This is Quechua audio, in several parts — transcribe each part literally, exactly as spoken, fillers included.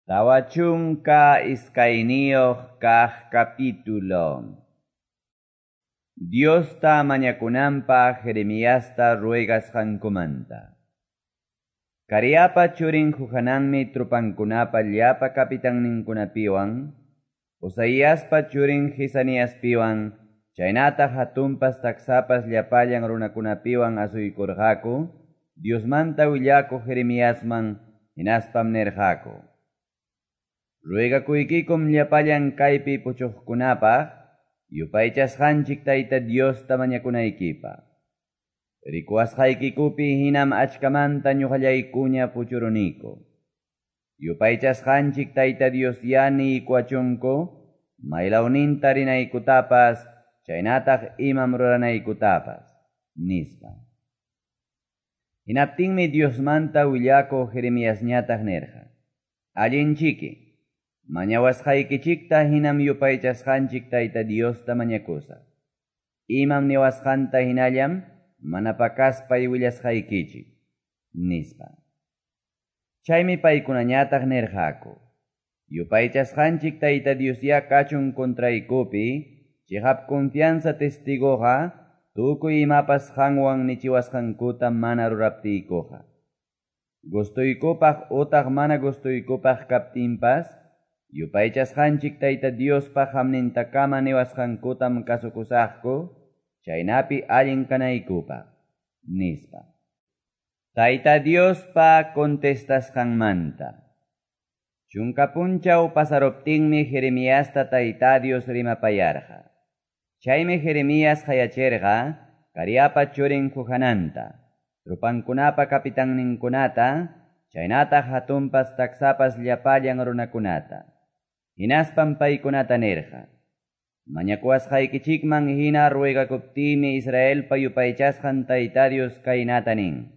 Tawa chunka iskayniyuq kaq capítulo. Diosta mañakunanpaq Jeremiasta ruegasqankumanta. Careapa churin Johananmi tropankunapa llapa capitanninkunapiwan, Osaiaspa churin Jesaniaspiwan, chaynataq hatunpas taksapas llapallan runakunapiwan asuykurqaku Diosmanta willakuq Jeremiasman, hinaspam nirqaku: Ruegakuykikum llapallan kaypi puchuqkunapaq yupaychasqanchik Tayta Diosta mañakunaykipaq. Rikuwasqaykikupi hinam achkamanta ñuqallaykuña puchuruniku. Yupaychasqanchik Tayta Dios ya niykuwachunku maylawninta rinaykutapas chaynataq imam ruranaykutapas, nispa. Hinaptinmi Diosmanta willakuq Jeremiasñataq nirqa: Allinchiki, mañawasqaykichikta hinam yupaychasqanchik Tayta Diosta mañakusaq. Imam niwasqanta hinallam mana pakaspay willasqaykichik, nispa. Chaymi paykunañataq nirqaku: Yupaychasqanchik Tayta Dios ya kachun kontraykupi, chiqap confianza testigoqa, tukuy imapas qanwan nichiwasqankuta mana ruraptiykuqa. Gustuykupaq utaq mana gustuykupaq kaptinpas, yupaychasqanchik Tayta Diospa hamnintakama niwasqankutam kasukusaqku, chaynapi allin kanaykupaq, nispa. Tayta Diospa contestasqanmanta. Chunka punchaw pasaruptinmi Jeremiasta Tayta Dios rimapayarqa. Chaymi Jeremías qayachirqa Careapa churin Johananta, tropankunapa capitanninkunata, chaynataq hatunpas taksapas llapallan runakunata. Hinaspam paykunata nirqa: Mañakuwasqaykichikman hina ruegakuptiymi Israelpa yupaychasqan Tayta Dios kaynata nin: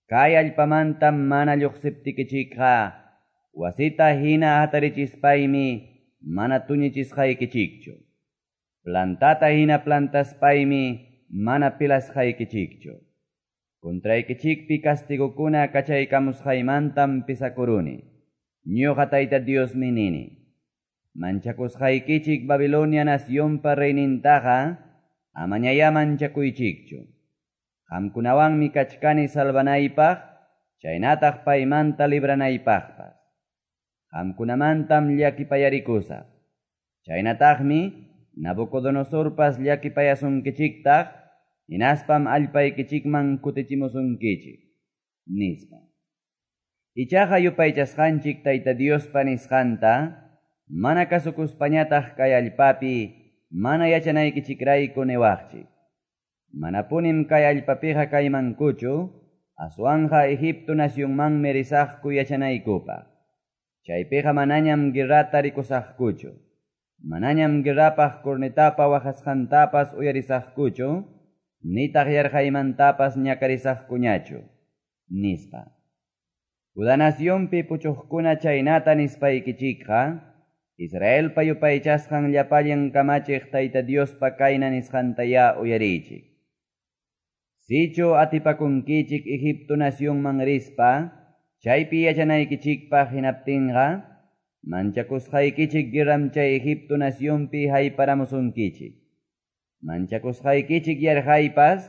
Kay allpamanta mana lluqsiptikichikqa, wasita hina hatarichispaymi mana tuñichisqaykichikchu. Plantata hina plantaspaymi mana pilasqaykichikchu. Contraykichikpi castigokuna kachaykamusqaymantam pisakuruni. Ñuqa Tayta Diosmi nini: Manchakusqaykichik Babilonia nacionpa reynintaqa amañayá manchakuychikchu. Qamkunawanmi kachkani salvanaypaq, chaynataq paymanta libranaypaqpas. Qamkunamantam llakipayarikusaq. Chaynataqmi Nabucodonosorpas llakipayasunkichiktaq, hinaspam allpaykichikman kutichimusunkichik, nispa. Ichaqa yupaychasqanchik Tayta Diospa nisqanta mana kasukuspañataq kay allpapi mana yachanaykichikrayku niwaqchik: Manapunim kay allpapiqa kaymankuchu, aswanqa Egipto nacionmanmi risaqku yachanaykupaq. Chaypiqa manañam guerrata rikusaqkuchu, manañam guerrapaq cornetapa waqasqantapas uyarisaqkuchu, nitaq yarqaymantapas ñakarisaqkuñachu, nispa. Judá nacionpi puchuqkuna chaynata nispaykichikqa, Israelpa yupaychasqan llapallan kamachiq Tayta Diospa kayna nisqantayá uyariychik. Sichu atipakunkichik Egipto nacionman rispa, chaypi yachanaykichikpaq hinaptinqa, manchakusqaykichik guerram chay Egipto nacionpi hayparamusunkichik. Manchakusqaykichik yarqaypas,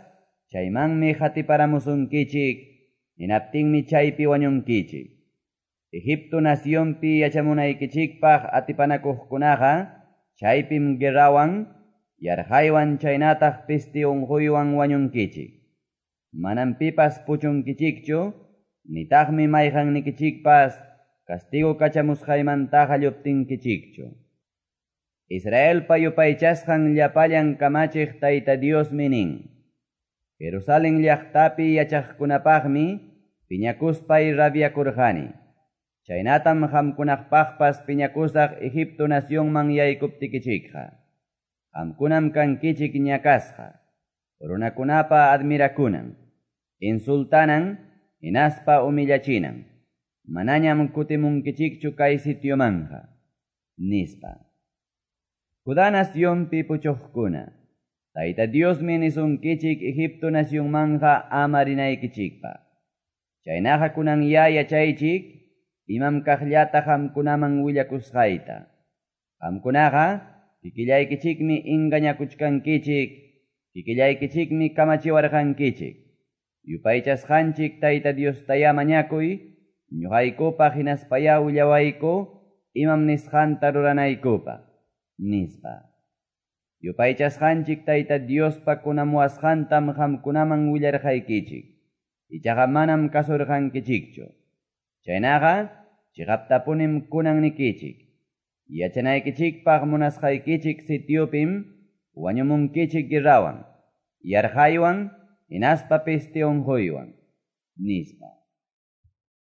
chaymanmi hatiparamusunkichik, hinaptinmi chaypi wañunkichik. Egipto nacionpi yachamunaykichikpaq atipanakuqkunaqa, chaypim guerrawan, yarqaywan chaynataq pesti unquywan wañunkichik. Manam pipas puchunkichikchu, nitaqmi mayqannikichikpas castigo kachamusqaymantaqa lluptinkichikchu. Israelpa yupaychasqan llapallan kamachiq Tayta Diosmi nin: Jerusalén llaqtapi yachaqkunapaqmi piñakuspay rabiakurqani. Chaynatam qamkunaqpaqpas piñakusaq Egipto nacionman yaykuptikichikqa. Qamkunam kankichik ñakasqa, runakunapa admirakunan, insultanan, hinaspa humillachinan. Manañam kutimunkichikchu kay sitiomanja, nispa. Judá nacionpi puchuqkuna, Tayta Diosmi nisunkichik Egipto nacionmanja ama rinaykichikpaq. Chaynaqa kunan ya yachaychik, imam kaqllata qamkunaman willakusqayta. Qamkunaqa kikillaykichikmi engañakuchkankichik, kikillaykichikmi kamachiwarqankichik, Yupaychasqanchik Tayta Diostayá mañakuy ñoqaykupaq hinaspayá willawayku imam nisqanta ruranaykupaq, nispa. Yupaychasqanchik Tayta Diospa kunamuwasqantam qamkunaman willarqaykichik, ichaqa manam kasurqankichikchu. Chaynaqa, cheqaptapunim kunan nikichik, Yachanaykichikpaq munasqaykichik sitiopim wañumunkichik guerrawan, yarqaywan hinaspa peste onqoywan, nispa.